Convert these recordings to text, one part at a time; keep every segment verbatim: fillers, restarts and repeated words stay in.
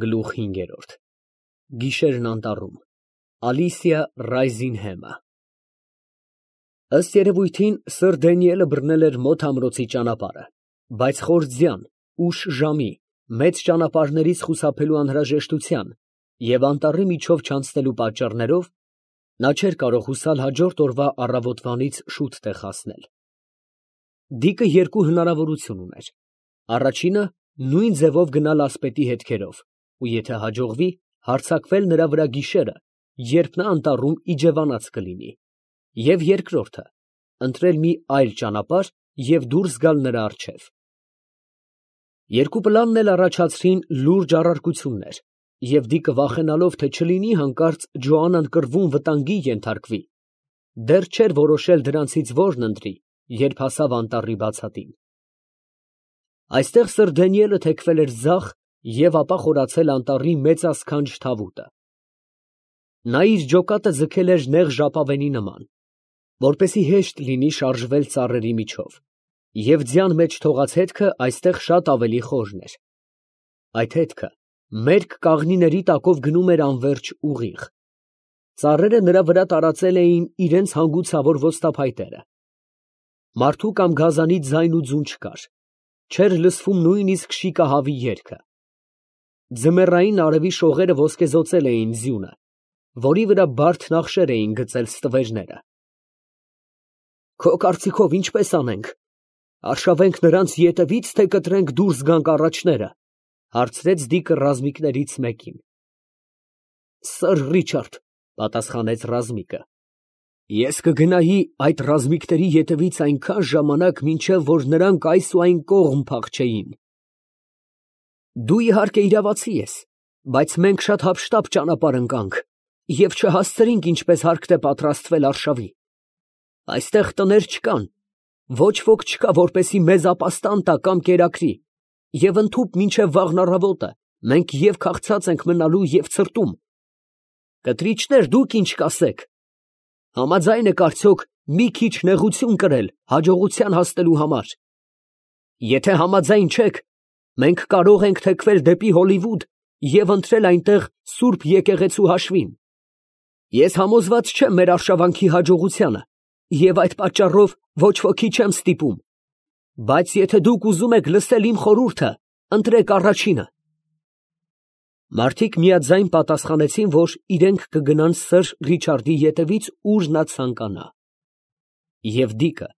Գլուխ հինգերորդ Գիշերն անտառում Ալիսիա Ռայզինհեմը Ըստ երևույթին Սըր Դանիելը բռնել էր մոտ ամրոցի ճանապարհը, բայց խոր ձյան, ուշ ժամի, մեծ ճանապարհներից խուսափելու անհրաժեշտության և անտառի միջով չանցնելու պատճառներով նա չէր կարող հուսալ հաջորդ օրվա առավոտվանից շուտ տեղ հասնել։ Դիկը երկու հնարավորություն ուներ. առաջինը նույն ձևով գնալ ասպետի հետքերով ու եթե հաջողվի, հարձակվել նրա վրա գիշերը, երբ նա անտառում իջևանած կլինի, և երկրորդը ընտրել մի այլ ճանապարհ և դուրս գալ նրա առջև։ Երկու պլանն էլ առաջացրին լուրջ առարկություններ, և Դիկը վախենալով, թե չլինի հանկարծ Ջոանան կռվում վտանգի ենթարկվի, դեռ չէր որոշել դրանցից որն ընտրի, երբ հասավ անտառի բացատին։ Այստեղ Սըր Դանիելը թեքվել էր ձախ և ապա խորացել անտառի մեծասքանչ թավուտը։ Նա իր ջոկատը ձգել էր նեղ ժապավենի նման, որպեսզի հեշտ լինի շարժվել ծառերի միջով, և ձյան մեջ թողած հետքը այստեղ շատ ավելի խորն էր։ Այդ հետքը մերկ կաղնիների տակով գնում էր անվերջ ուղիղ։ Ծառերը նրա վրա տարածել էին իրենց հանգուցավոր ոստափայտերը։ Մարդու կամ գազանի ձայն ու ձուն չկար, չէր լսվում նույնիսկ շիկահավի երգը։ Ձմեռային արևի շողերը ոսկեզօծել էին ձյունը, որի վրա բարդ նախշեր էին գծել ստվերները։ Քո կարծիքով ինչպե՞ս անենք, արշավենք նրանց ետևի՞ց, թե կտրենք դուրս գանք առաջները, ֊ հարցրեց Դիկը ռազմիկներից մեկին։ Սըր Ռիչարդ, ֊ պատասխանեց ռազմիկը, ես կգնայի այդ ռազմիկների ետևից այնքան ժամանակ, մինչև որ նրանք այս ու այն կողմ փախչեին։ Դու իհարկե իրավացի ես, բայց մենք շատ հափշտապ ճանապարհ ընկանք և չհասցրինք ինչպես հարկտ է պատրաստվել արշավի։ Այստեղ տներ չկան, ոչ ոք չկա, որպեսզի մեզ ապաստան տա կամ կերակրի, և ընդհուպ մինչև վաղն առավոտը մենք և քաղցած ենք մնալու և ցրտում։ Կտրիչներ, դուք ինչ կասեք. համաձայն եք արդյոք մի քիչ նեղություն կրել հաջողության հասնելու համար։ Եթե համաձայն չեք, մենք կարող ենք թեքվել դեպի Հոլիվուդ և ընտրել այնտեղ սուրբ եկեղեցու հաշվին։ Ես համոզված չեմ մեր արշավանքի հաջողությանը և այդ պատճառով ոչ ոքի չեմ ստիպում, բայց եթե դուք ուզում եք լսել իմ խորհուրդը, ընտրեք առաջինը։ Մարդիկ միաձայն պատասխանեցին, որ իրենք կգնան Սըր Ռիչարդի ետևից, ուր նա ցանկանա։ Եվ Դիկը,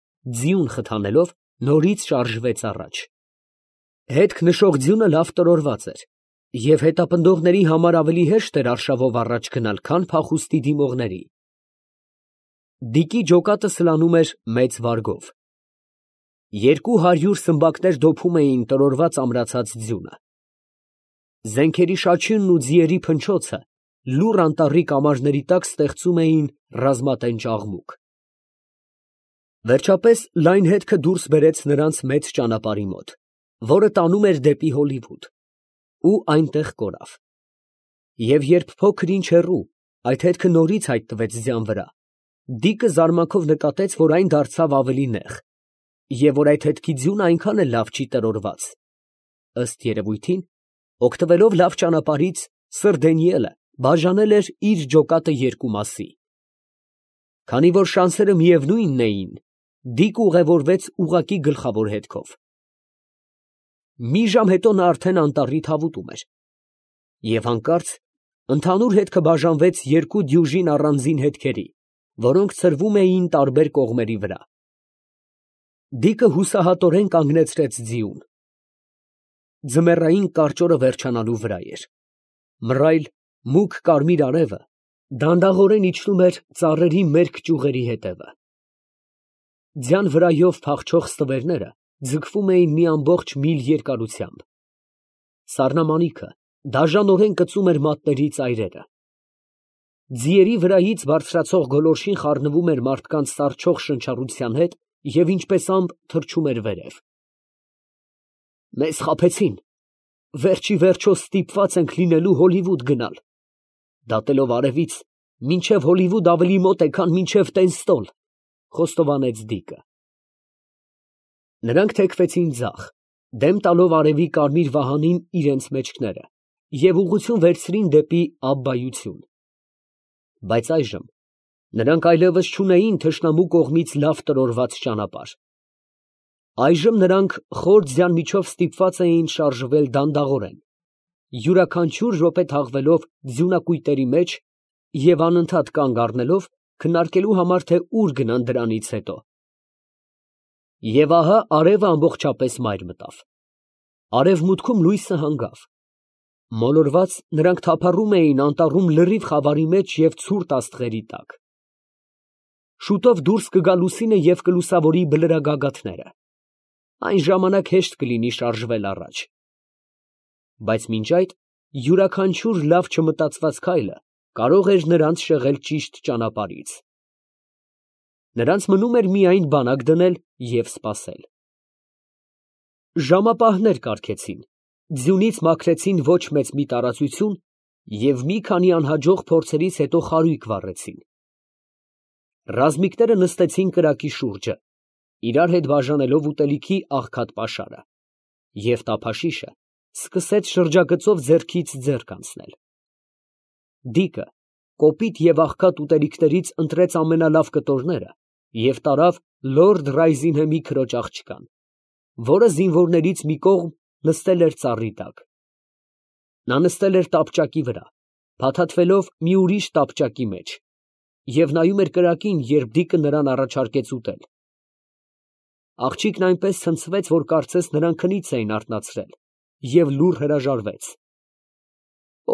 ձիուն խթանելով, նորից շարժվեց առաջ։ Հետք նշող ձյունը լավ տրորված էր, և հետապնդողների համար ավելի հեշտ էր արշավով առաջ գնալ, քան փախուստի դիմողների։ Դիկի ջոկատը սլանում էր մեծ վարգով։ Երկու հարյուր սմբակներ դոփում էին տրորված ամրացած ձյունը։ Զենքերի շաչյունն ու ձիերի փնչոցը լուռ անտառի կամարների տակ ստեղծում էին ռազմատենչ աղմուկ։ Վերջապես լայն հետքը դուրս բերեց նրանց մեծ ճանապարհի մոտ, որը տանում էր դեպի Հոլիվուդ, ու այնտեղ կորավ։ Եվ երբ փոքր ինչ հեռու այդ հետքը նորից հայտնվեց ձյան վրա, Դիկը զարմանքով նկատեց, որ այն դարձավ ավելի նեղ, և որ այդ հետքի ձյունը այնքան էլ լավ չի տրորված։ Ըստ երևույթին, օգտվելով լավ ճանապարհից, Սըր Դանիելը բաժանել էր իր ջոկատը երկու մասի։ Քանի որ շանսերը միևնույնն էին, Դիկը ուղևորվեց ուղղակի գլխավոր հետքով։ Մի ժամ հետո նա արդեն անտառի թավուտում էր, և հանկարծ ընդհանուր հետքը բաժանվեց երկու դյուժին առանձին հետքերի, որոնք ցրվում էին տարբեր կողմերի վրա։ Դիկը հուսահատորեն կանգնեցրեց ձիուն։ Ձմեռային կարճ օրը վերջանալու վրա էր։ Մռայլ, մուգ կարմիր արևը դանդաղորեն իջնում էր ծառերի մերկ ճյուղերի ետևը։ Ձյան վրայով փախչող ստվերները ձգվում էին մի ամբողջ միլ երկարությամբ։ Սառնամանիքը դաժանորեն կծում էր մատների ծայրերը։ Ձիերի վրայից բարձրացող գոլորշին խառնվում էր մարդկանց սառչող շնչառության հետ և ինչպես ամպ թռչում էր վերև։ Մեզ խաբեցին, վերջ ի վերջո ստիպված ենք լինելու Հոլիվուդ գնալ, դատելով արևից, մինչև Հոլիվուդ ավելի մոտ է, քան մինչև Տենստոլ, ֊ խոստովանեց Դիկը։ Նրանք թեքվեցին ձախ, դեմ տալով արևի կարմիր վահանին իրենց մեջքները, և ուղղություն վերցրին դեպի Աբբայություն։ Բայց այժմ նրանք այլևս չունեին թշնամու կողմից լավ տրորված ճանապարհ։ Այժմ նրանք խոր ձյան միջով ստիպված էին շարժվել դանդաղորեն, յուրաքանչյուր րոպե թաղվելով ձյունակույտերի մեջ և անընդհատ կանգ առնելով քննարկելու համար, թե ուր գնան դրանից հետո։ Եվ ահա արևը ամբողջապես մայր մտավ, արևմուտքում լույսը հանգավ, մոլորված նրանք թափառում էին անտառում լրիվ խավարի մեջ և ցուրտ աստղերի տակ։ Շուտով դուրս կգա լուսինը և կլուսավորի բլրագագաթները, այն ժամանակ հեշտ կլինի շարժվել առաջ։ Բայց մինչ այդ յուրաքանչյուր լավ չմտածված քայլը կարող էր նրանց շեղել ճիշտ ճանապարհից։ Նրանց մնում էր միայն բանակ դնել և սպասել։ Ժամապահներ կարգեցին, ձյունից մաքրեցին ոչ մեծ մի տարածություն և մի քանի անհաջող փորձերից հետո խարույկ վառեցին։ Ռազմիկները նստեցին կրակի շուրջը, իրար հետ բաժանելով ուտելիքի աղքատ պաշարը, և տափաշիշը սկսեց շրջագծով ձեռքից ձեռք անցնել։ Դիկը կոպիտ և աղքատ ուտելիքներից ընտրեց ամենալավ կտորները և տարավ լորդ Ռայզինհեմի քրոջ աղջկան, որը զինվորներից մի կողմ նստել էր ծառի տակ։ Նա նստել էր տապճակի վրա, փաթաթվելով մի ուրիշ տապճակի մեջ, և նայում էր կրակին, երբ Դիկը նրան առաջարկեց ուտել։ Աղջիկն այնպես ցնցվեց, որ կարծես նրան քնից էին արթնացրել, և լուռ հրաժարվեց։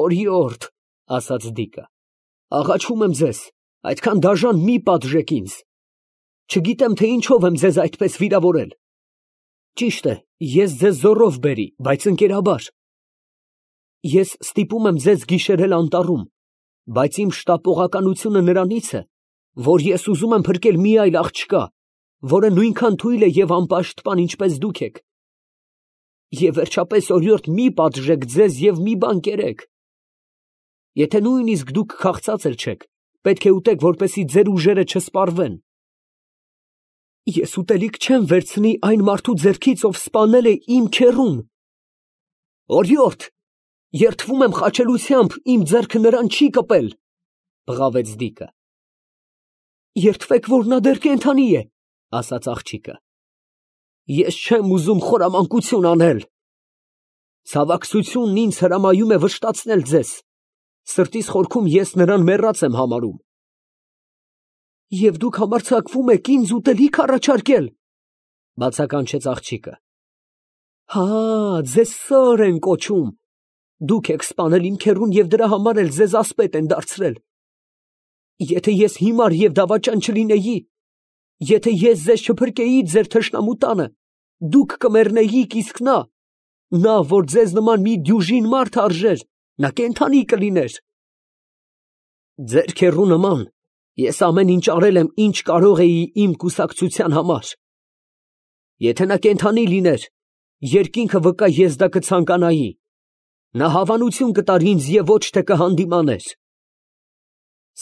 «Օրիորդ, ֊ ասաց Դիկը, ֊ աղաչում եմ ձեզ, այդքան դաժան մի պատժեք ինձ. չգիտեմ, թե ինչով եմ ձեզ այդպես վիրավորել։ Ճիշտ է, ես ձեզ զոռով բերի, բայց ընկերաբար։ Ես ստիպում եմ ձեզ գիշերել անտառում, բայց իմ շտապողականությունը նրանից է, որ ես ուզում եմ փրկել մի այլ աղջկա, որը նույնքան թույլ է և անպաշտպան, ինչպես դուք եք։ Եվ վերջապես, օրիորդ, մի պատժեք ձեզ և մի բան կերեք։ Եթե նույնիսկ դուք քաղցած էլ չեք, պետք է ուտեք, որպեսզի ձեր ուժերը չսպառվեն։ Ես ուտելիք չեմ վերցնի այն մարդու ձեռքից, ով սպանել է իմ քեռուն։ Օրիորդ, երդվում եմ խաչելությամբ, իմ ձեռքը նրան չի կպել, ֊ բղավեց Դիկը։ Երդվեք, որ նա դեռ կենդանի է, ֊ ասաց աղջիկը։ Ես չեմ ուզում խորամանկություն անել։ Ցավակցությունն ինձ հրամայում է վշտացնել ձեզ, սրտիս խորքում ես նրան մեռած եմ համարում։ Եվ դուք համարձակվում եք ինձ ուտելիք առաջարկել, ֊ բացականչեց աղջիկը։ Հա, ձեզ սըր են կոչում, դուք եք սպանել իմ քեռուն և դրա համար էլ ձեզ ասպետ են դարձրել։ Եթե ես հիմար և դավաճան չլինեի, եթե ես ձեզ չփրկեի ձեր թշնամու տանը, դուք կմեռնեիք, իսկ նա, նա, որ ձեզ նման մի դյուժին մարդ արժեր, նա կենդանի կլիներ։ Ձեր քեռու նման ես ամեն ինչ արել եմ, ինչ կարող էի իմ կուսակցության համար։ Եթե նա կենդանի լիներ, երկինքը վկա ես դա կցանկանայի, նա հավանություն կտար ինձ և ոչ թե կհանդիմաներ։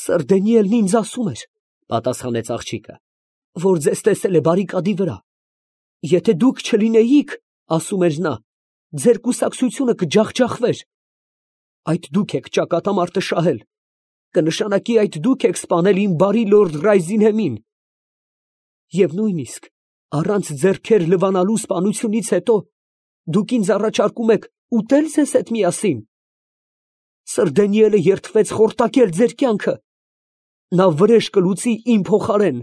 Սըր Դանիելն ինձ ասում էր, ֊ պատասխանեց աղջիկը, ֊ որ ձեզ տեսել է բարիկադի վրա։ Եթե դուք չլինեիք, ասում էր նա, ձեր կուսակցությունը կջախջախվեր։ Այդ դուք եք ճակատամարտը շահել, կնշանակի այդ դուք եք սպանել իմ բարի լորդ Ռայզինհեմին։ Եվ նույնիսկ առանց ձեռքեր լվանալու սպանությունից հետո դուք ինձ առաջարկում եք ուտել ձեզ հետ միասին։ Սըր Դանիելը երդվեց խորտակել ձեր կյանքը, նա վրեժ կլուծի իմ փոխարեն։